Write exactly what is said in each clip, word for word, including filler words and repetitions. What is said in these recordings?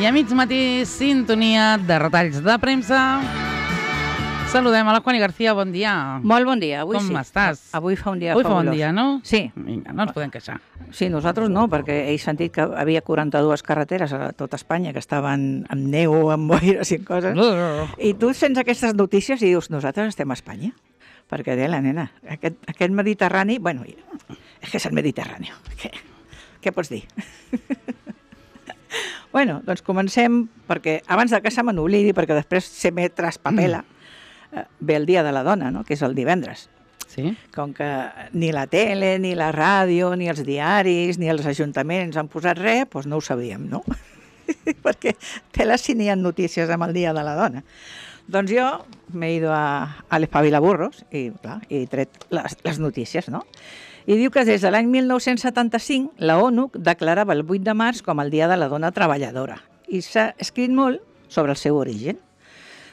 I a mig matí, sintonia de retalls de premsa. Saludem a la Juani García, bon dia. Molt bon dia, avui Com sí. Com estàs? Avui fa un dia avui fabulós. Avui fa un dia, no? Sí. Vinga, no ens podem queixar. Sí, nosaltres no, perquè he sentit que havia quaranta-dues carreteres a tota Espanya que estaven amb neu, amb boires i coses. I tu sents aquestes notícies i dius, nosaltres estem a Espanya. Perquè de la nena, aquest, aquest Mediterrani, bueno, és que és el Mediterrani. Què, què pots dir? Bueno, doncs comencem, perquè abans de que se me n'oblidi, perquè després se me traspapela, eh, ve el Dia de la Dona, no?, que és el divendres. Sí. Com que ni la tele, ni la ràdio, ni els diaris, ni els ajuntaments han posat res, doncs no ho sabíem, no? Perquè tela si n'hi ha notícies amb el Dia de la Dona. Doncs jo m'he ido a, a l'Espavilaburros i, clar, he tret les, les notícies, no? I diu que des de l'any mil nou-cents setanta-cinc la ONU declarava el vuit de març com el Dia de la Dona Treballadora i s'ha escrit molt sobre el seu origen.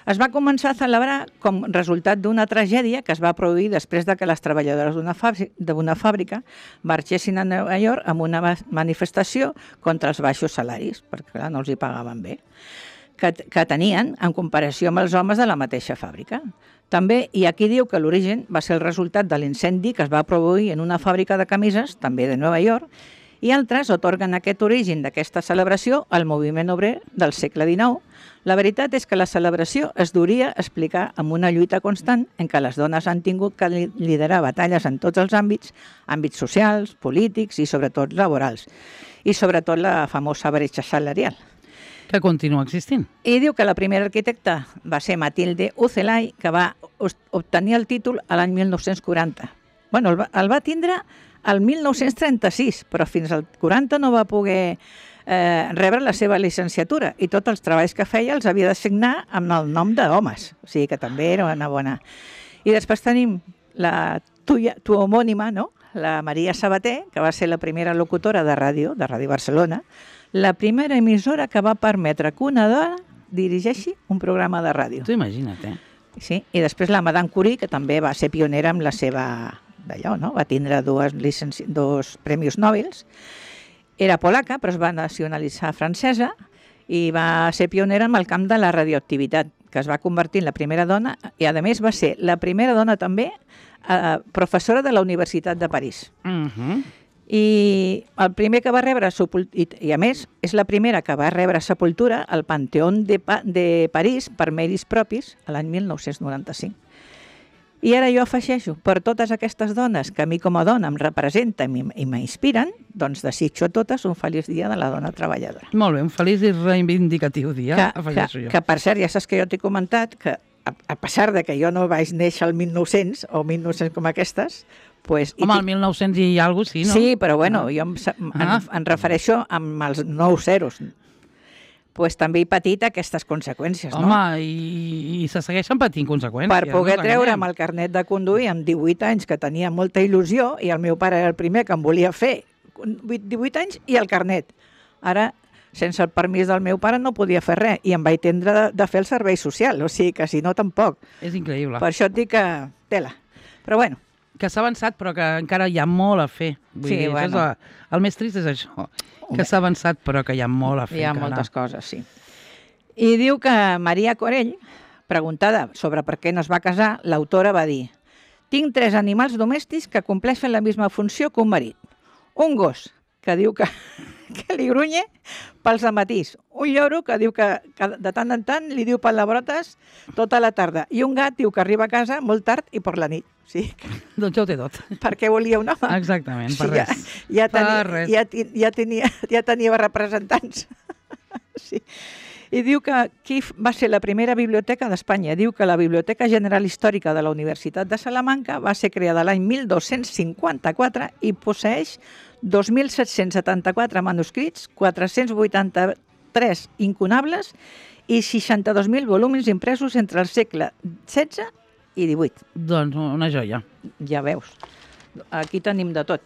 Es va començar a celebrar com resultat d'una tragèdia que es va produir després de que les treballadores d'una fàbrica, fàbrica marxessin a Nova York amb una manifestació contra els baixos salaris, perquè clar, no els hi pagaven bé, que, que tenien en comparació amb els homes de la mateixa fàbrica. També, i aquí diu que l'origen va ser el resultat de l'incendi que es va produir en una fàbrica de camises, també de Nova York, i altres otorguen aquest origen d'aquesta celebració al moviment obrer del segle dinou. La veritat és que la celebració es duria a explicar amb una lluita constant en què les dones han tingut que liderar batalles en tots els àmbits, àmbits socials, polítics i sobretot laborals, i sobretot la famosa bretxa salarial. Que continua existint. I diu que la primera arquitecta va ser Matilde Ucelay, que va obtenir el títol a l'any mil nou-cents quaranta. Bueno, el va, el va tindre al mil nou-cents trenta-sis, però fins al quaranta no va poder eh, rebre la seva llicenciatura i tots els treballs que feia els havia de signar amb el nom d'homes, o sigui que també era una bona. I després tenim la tuya, tu homònima, no?, la Maria Sabater, que va ser la primera locutora de ràdio, de Ràdio Barcelona, la primera emissora que va permetre que una dona dirigeixi un programa de ràdio. Tu imagina't, eh? Sí, i després la Madame Curie, que també va ser pionera amb la seva d'allò, no? Va tindre dues, licenci... dos premis Nobel. Era polaca, però es va nacionalitzar francesa i va ser pionera en el camp de la radioactivitat, que es va convertir en la primera dona i, a més, va ser la primera dona també eh, professora de la Universitat de París. Uh-huh. I el primer que va rebre sepultura, i a més és la primera que va rebre sepultura al Panteón de, pa de París per mèrits propis l'any mil nou-cents noranta-cinc. I ara jo afegeixo, per totes aquestes dones que a mi com a dona em representen i m'inspiren, doncs desitjo a totes un feliç dia de la dona treballadora. Molt bé, un feliç i reivindicatiu dia, que, afegeixo que, jo. Que per cert, ja saps que jo t'he comentat que a, a pesar de que jo no vaig néixer al mil nou-cents o mil nou-cents com aquestes, pues, home, el mil nou-cents i alguna cosa, sí, no? Sí, però bueno, ah. jo em, em, ah. em refereixo amb els nou zeros. Pues també he patit aquestes conseqüències, home, no? Home, i, i se segueixen patint conseqüències. Per poder no treure'm el carnet de conduir amb divuit anys, que tenia molta il·lusió, i el meu pare era el primer que em volia fer divuit anys i el carnet. Ara, sense el permís del meu pare no podia fer res, i em vaig tendre de, de fer el servei social, o sigui que si no tampoc. És increïble. Per això et dic que tela. Però bueno. Que s'ha avançat, però que encara hi ha molt a fer. Vull sí, dir, bueno. és el, el més trist és això, que s'ha avançat, però que hi ha molt a fer. Hi ha encara. moltes coses, sí. I diu que Maria Corell, preguntada sobre per què no es va casar, l'autora va dir: tinc tres animals domèstics que compleixen la misma funció que un marit. Un gos, que diu que, que li grunye pels amatís. Un lloro, que diu que, que de tant en tant li diu palabrotes tota la tarda. I un gat, diu que arriba a casa molt tard i per la nit. Sí. Doncs ja ho té tot. Per què volia un home? Exactament, per sí, res. Ja, ja, tenia, per res. Ja, ja, tenia, ja tenia representants. Sí. I diu que qui va ser la primera biblioteca d'Espanya. Diu que la Biblioteca General Històrica de la Universitat de Salamanca va ser creada l'any mil dos-cents cinquanta-quatre i posseeix dos mil set-cents setanta-quatre manuscrits, quatre-cents vuitanta-tres incunables i seixanta-dos mil volums impresos entre el segle setze i divuit. Doncs una joia. Ja veus. Aquí tenim de tot.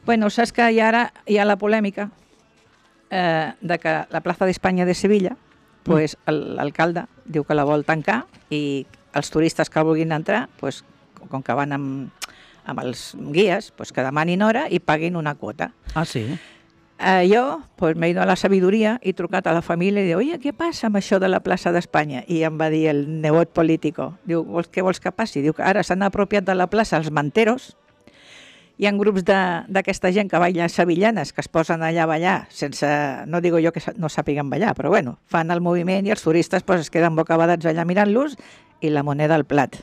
Bueno, saps que hi ha ara hi ha la polèmica eh, de que la plaça d'Espanya de Sevilla, pues, l'alcalde diu que la vol tancar i els turistes que vulguin entrar, pues, com que van amb, amb els guies, pues, que demanin hora i paguin una quota. Ah, sí? Eh, jo pues, m'he ido a la sabidoria i he trucat a la família i diu, oye, què passa amb això de la plaça d'Espanya? I em va dir el nebot político, diu, vols, què vols que passi? Diu que ara s'han apropiat de la plaça els manteros, hi ha grups d'aquesta gent que balla sevillanes que es posen allà a ballar sense, no digo jo que no sàpiguen ballar, però bueno, fan el moviment i els turistes pues, es queden bocabadats allà mirant-los i la moneda al plat.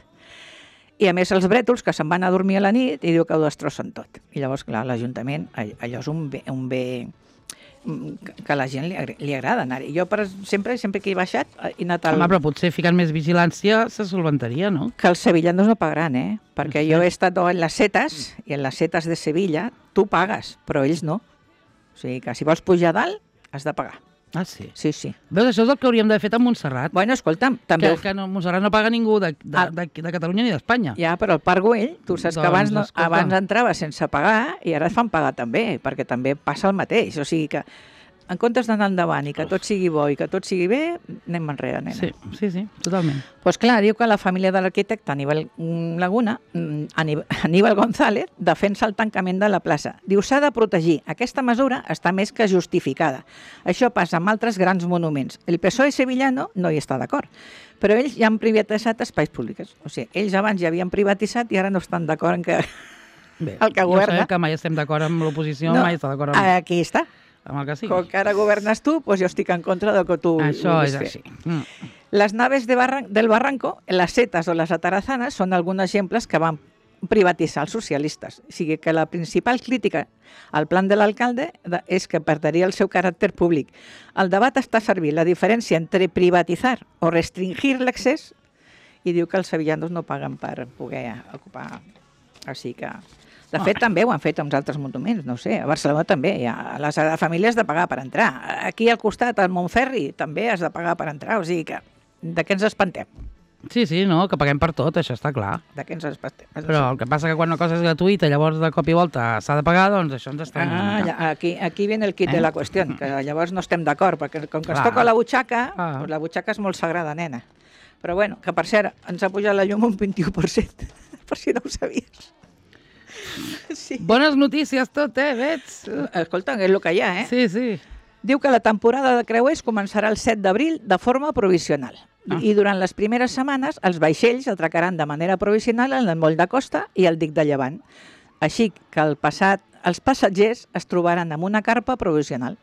I a més els brètols que se'n van a dormir a la nit i diu que ho destrossen tot. I llavors, clar, l'Ajuntament, allò és un bé, un bé que a la gent li, li agrada anar-hi. Jo per, sempre, sempre que he baixat he anat al... Home, però potser ficant més vigilància se solventaria, no? Que els sevillanos no pagaran, eh? Perquè sí. jo he estat en les setes, i en les setes de Sevilla tu pagues, però ells no. O sigui que si vols pujar dalt, has de pagar. Ah, sí? Sí, sí. Veus, això és el que hauríem d'haver fet amb Montserrat. Bueno, escolta'm, també... Que, que no, Montserrat no paga ningú de, de, ah. de, de Catalunya ni d'Espanya. Ja, però el Parc Güell, tu saps doncs, que abans, no, escolta. abans entrava sense pagar i ara et fan pagar també, perquè també passa el mateix. O sigui que, en comptes d'anar endavant i que tot sigui bo i que tot sigui bé, anem enrere, nena. Sí, sí, sí, totalment. Doncs pues clar, diu que la família de l'arquitecte Aníbal Laguna, Aníbal González, defensa el tancament de la plaça. Diu, s'ha de protegir. Aquesta mesura està més que justificada. Això passa amb altres grans monuments. El P S O E sevillano no hi està d'acord, però ells ja han privatitzat espais públics. O sigui, ells abans ja havien privatitzat i ara no estan d'acord en que Bé, el que ja governa... sabem que mai estem d'acord amb l'oposició, no, mai està d'acord amb... Aquí està. amb el que sigui. Com que ara governes tu, doncs jo estic en contra del que tu Això vulguis és fer. així. Mm. Les naves de barran del Barranco, les setes o les atarazanes, són alguns exemples que van privatitzar els socialistes. O sigui que la principal crítica al plan de l'alcalde és que perdria el seu caràcter públic. El debat està servint la diferència entre privatitzar o restringir l'accés i diu que els sevillanos no paguen per poder ocupar. Així que... De fet, oh. també ho han fet amb altres monuments, no sé, a Barcelona també, a la Sagrada Família has de pagar per entrar. Aquí al costat, al Montferri, també has de pagar per entrar, o sigui que de què ens espantem? Sí, sí, no, que paguem per tot, això està clar. De què ens espantem? Però el que passa que quan una cosa és gratuïta, llavors de cop i volta s'ha de pagar, doncs això ens està... Ah, ja, aquí, aquí viene el kit eh? de la qüestió, que llavors no estem d'acord, perquè com que ens clar. toca la butxaca, ah. doncs la butxaca és molt sagrada, nena. Però bueno, que per cert, ens ha pujat la llum un vint-i-u per cent, per si no ho sabies. Sí. Bones notícies tot, eh, veig? Escolta, és el que hi ha, eh? Sí, sí. Diu que la temporada de creuers començarà el set d'abril de forma provisional. Ah. I durant les primeres setmanes els vaixells atracaran de manera provisional en el moll de costa i el dic de Llevant. Així que el passat, els passatgers es trobaran amb una carpa provisional.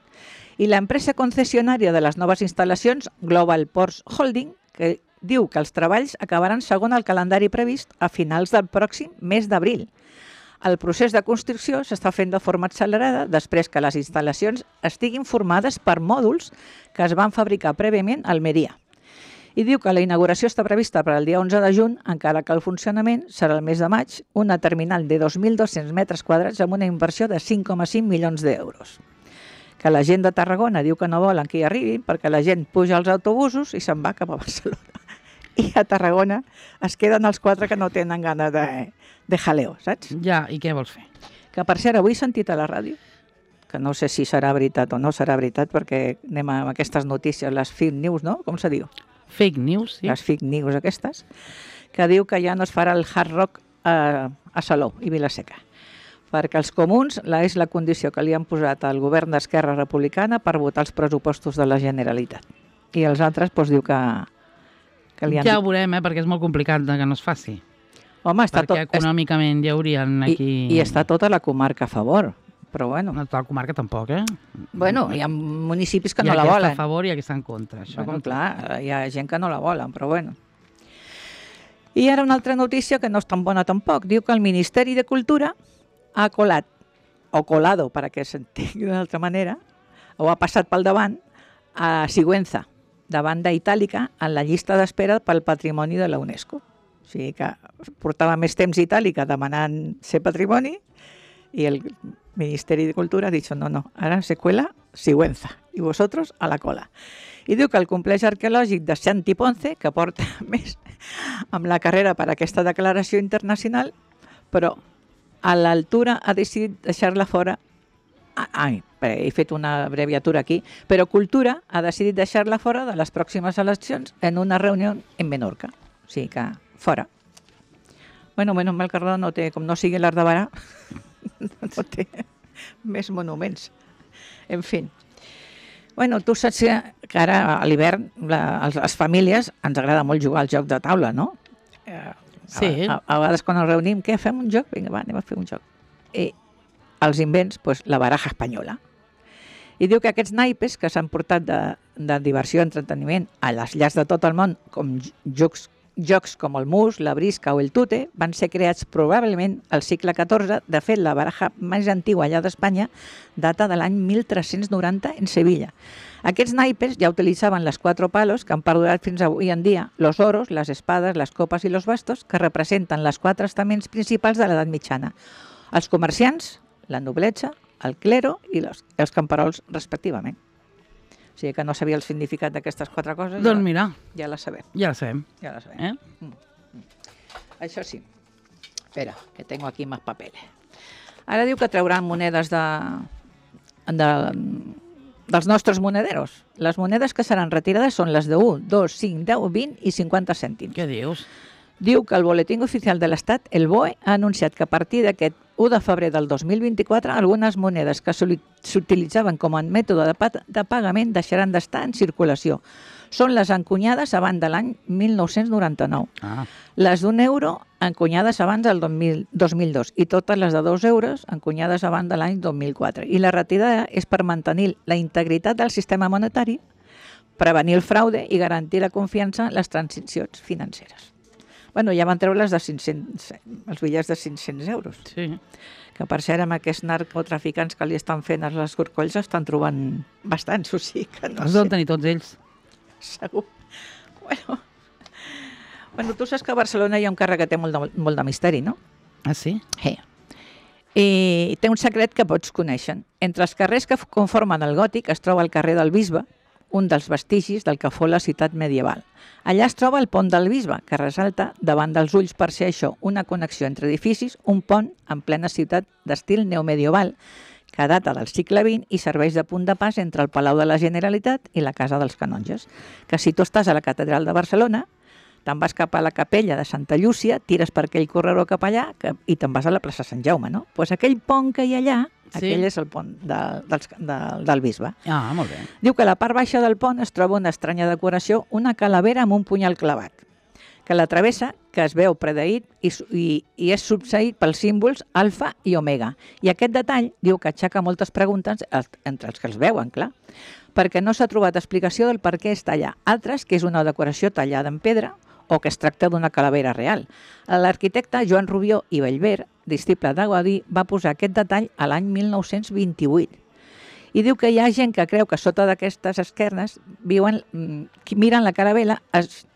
I l'empresa concessionària de les noves instal·lacions, Global Ports Holding, que diu que els treballs acabaran segons el calendari previst a finals del pròxim mes d'abril. El procés de construcció s'està fent de forma accelerada després que les instal·lacions estiguin formades per mòduls que es van fabricar prèviament a Almeria. I diu que la inauguració està prevista per al dia onze de juny, encara que el funcionament serà el mes de maig, una terminal de dos mil dos-cents metres quadrats amb una inversió de cinc coma cinc milions d'euros. Que la gent de Tarragona diu que no volen que hi arribin perquè la gent puja als autobusos i se'n va cap a Barcelona. I a Tarragona es queden els quatre que no tenen gana de, de jaleo, saps? Ja, i què vols fer? Que per cert, avui he sentit a la ràdio, que no sé si serà veritat o no serà veritat, perquè anem amb aquestes notícies, les fake news, no? Com se diu? Fake news, sí. Les fake news aquestes, que diu que ja no es farà el hard rock a, a Salou i Vilaseca. Perquè els comuns la és la condició que li han posat al govern d'Esquerra Republicana per votar els pressupostos de la Generalitat. I els altres doncs, diu que... que li han... Ja ho veurem, eh, perquè és molt complicat que no es faci. Home, està perquè tot... econòmicament hi haurien aquí... I, I està tota la comarca a favor, però bueno... No, tota la comarca tampoc, eh? Bueno, hi ha municipis que no la volen. Hi ha volen. qui està a favor i hi ha qui està en contra. Això bueno, clar, hi ha gent que no la volen, però bueno. I ara una altra notícia que no és tan bona tampoc. Diu que el Ministeri de Cultura ha colat, o colado, per a que s'entengui d'una altra manera, o ha passat pel davant, a Sigüenza, de banda itàlica, en la llista d'espera pel patrimoni de la UNESCO. O sigui que portava més temps Itàlica demanant ser patrimoni i el Ministeri de Cultura ha dit, no, no, ara se cuela Sigüenza i vosotros a la cola. I diu que el complex arqueològic de Santi Ponce, que porta més amb la carrera per a aquesta declaració internacional, però a l'altura ha decidit deixar-la fora. Ai, he fet una abreviatura aquí, però Cultura ha decidit deixar-la fora de les pròximes eleccions en una reunió en Menorca. O sigui que fora. Bueno, menys mal que no té, com no sigui l'Ardabarà, no té més monuments. En fi. Bueno, tu saps que ara a l'hivern les, les famílies ens agrada molt jugar al joc de taula, no? Eh, Sí. A, a, a vegades quan ens reunim, què, fem un joc? Vinga, va, anem a fer un joc. I els invents, doncs, la baraja espanyola. I diu que aquests naipes que s'han portat de, de diversió i entreteniment a les llars de tot el món, com jocs, jocs com el mus, la brisca o el tute, van ser creats probablement al segle catorze. De fet, la baraja més antiga allà d'Espanya data de l'any mil tres-cents noranta en Sevilla. Aquests naipes ja utilitzaven les quatre palos que han perdurat fins avui en dia, los oros, les espades, les copes i los bastos, que representen les quatre estaments principals de l'edat mitjana. Els comerciants, la noblesa, el clero i los, els camperols, respectivament. O sigui que no sabia el significat d'aquestes quatre coses. Doncs ja, mira, ja la sabem. ja la sabem. Ja la sabem. Eh? Mm, mm. Això sí. Espera, que tengo aquí más papeles. Ara diu que trauran monedes de, de, dels nostres monederos. Les monedes que seran retirades són les de un, dos, cinc, deu, vint i cinquanta cèntims. Què dius? Diu que el Boletín Oficial de l'Estat, el B O E, ha anunciat que a partir d'aquest u de febrer del dos mil vint-i-quatre algunes monedes que s'utilitzaven com a mètode de, pa de pagament deixaran d'estar en circulació. Són les encunyades abans de l'any mil nou-cents noranta-nou. Ah. Les d'un euro encunyades abans del dos mil dos i totes les de dos euros encunyades abans de l'any dos mil quatre. I la retirada és per mantenir la integritat del sistema monetari, prevenir el fraude i garantir la confiança en les transicions financeres. Bueno, ja van treure les de cinc-cents, els bitllets de cinc-cents euros. Sí. Que per cert, amb aquests narcotraficants que li estan fent a les corcolls estan trobant bastants, o sigui que no Els sé. deuen tenir tots ells. Segur. Bueno. bueno, tu saps que a Barcelona hi ha un carrer que té molt de, molt de misteri, no? Ah, sí? Sí. I té un secret que pots conèixer. Entre els carrers que conformen el gòtic es troba el carrer del Bisbe, un dels vestigis del que fou la ciutat medieval. Allà es troba el pont del Bisbe, que ressalta davant dels ulls per ser això una connexió entre edificis, un pont en plena ciutat d'estil neomedieval, que data del segle vint i serveix de punt de pas entre el Palau de la Generalitat i la Casa dels Canonges. Que si tu estàs a la Catedral de Barcelona, te'n vas cap a la capella de Santa Llúcia, tires per aquell corredor cap allà que, i te'n vas a la plaça Sant Jaume, no? Doncs pues aquell pont que hi ha allà, sí. Aquell és el pont de, del, de, del Bisbe. Ah, molt bé. Diu que a la part baixa del pont es troba una estranya decoració, una calavera amb un punyal clavat, que la travessa, que es veu predeït i, i, i és subseït pels símbols alfa i omega. I aquest detall diu que aixeca moltes preguntes entre els que els veuen, clar, perquè no s'ha trobat explicació del per què està allà. Altres, que és una decoració tallada en pedra o que es tracta d'una calavera real. L'arquitecte Joan Rubió i Bellver, disciple de Gaudí, va posar aquest detall a l'any mil nou-cents vint-i-vuit. I diu que hi ha gent que creu que sota d'aquestes esquernes viuen, miren la caravella, es,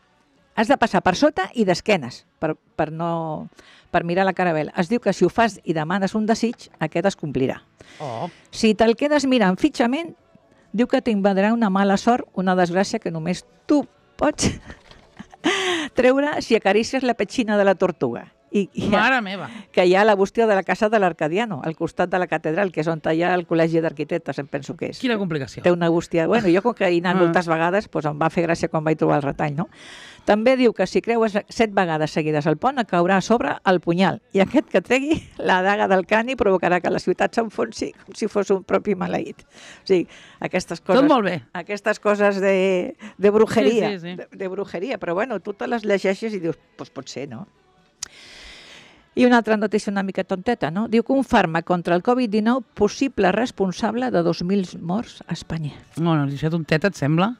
has de passar per sota i d'esquenes per, per, no, per mirar la caravella. Es diu que si ho fas i demanes un desig, aquest es complirà. Oh. Si te'l quedes mirant fixament, diu que t'invadirà una mala sort, una desgràcia que només tu pots treure si acaricies la petxina de la tortuga. I, i Mare meva! Que hi ha la bústia de la casa de l'Arcadiano, al costat de la catedral, que és on hi ha el col·legi d'arquitectes, em penso que és. Quina complicació. Té una bústia... Bueno, jo com que hi he anat Ah. moltes vegades, doncs em va fer gràcia quan vaig trobar el retall, no? També diu que si creues set vegades seguides al pont, et caurà a sobre el punyal. I aquest que tregui la daga del crani provocarà que la ciutat s'enfonsi com si fos un propi maleït. O sigui, aquestes coses... Tot molt bé. Aquestes coses de, de brujeria. Sí, sí, sí. De, de brujeria. Però bueno, tu te les llegeixes i dius, doncs pot ser, no? I una altra notícia una mica tonteta, no? Diu que un fàrmac contra el covid dinou possible responsable de dos mil morts a Espanya. No, no, això tonteta et sembla?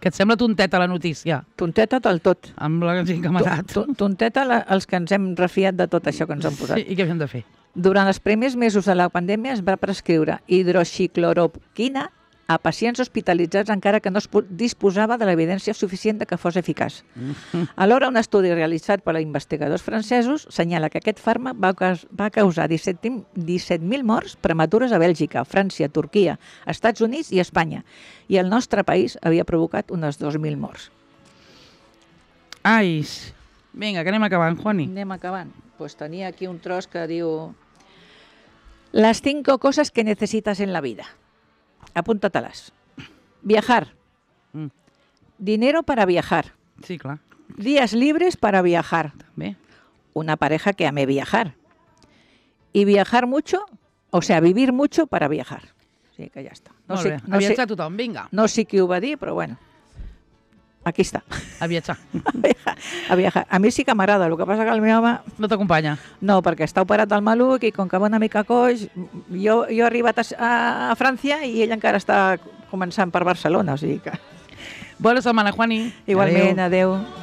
Que et sembla tonteta la notícia? Tonteta del tot. Amb la gent que ha matat. To- to- Tonteta la, els que ens hem refiat de tot això que ens han posat. Sí, i què havíem de fer? Durant els primers mesos de la pandèmia es va prescriure hidroxicloroquina a pacients hospitalitzats encara que no es pu- disposava de l'evidència suficient de que fos eficaç. Alhora, un estudi realitzat per investigadors francesos senyala que aquest fàrmac va, caus- va causar disset mil morts prematures a Bèlgica, França, Turquia, Estats Units i Espanya. I el nostre país havia provocat unes dos mil morts. Ai, vinga, que anem acabant, Juani. Anem acabant. Pues tenia aquí un tros que diu: Las cinco cosas que necesitas en la vida. Apúntatelas. Viajar. Mm. Dinero para viajar. Sí, clar. Días libres para viajar. Bé. Una pareja que ame viajar. Y viajar mucho, o sea, vivir mucho para viajar. sigui que ja està. No Molt sé, bé, no a viatjar sé, tothom, vinga. No sé qui ho va dir, però bueno, aquí està. A viatjar. a viajar. A mi sí que m'agrada, el que passa que el meu home... No t'acompanya? No, perquè està operat del maluc i com que va una mica coix, jo, jo he arribat a, a, a França i ell encara està començant per Barcelona, o sigui que... Bona setmana, Juani. Igualment, adeu. adeu.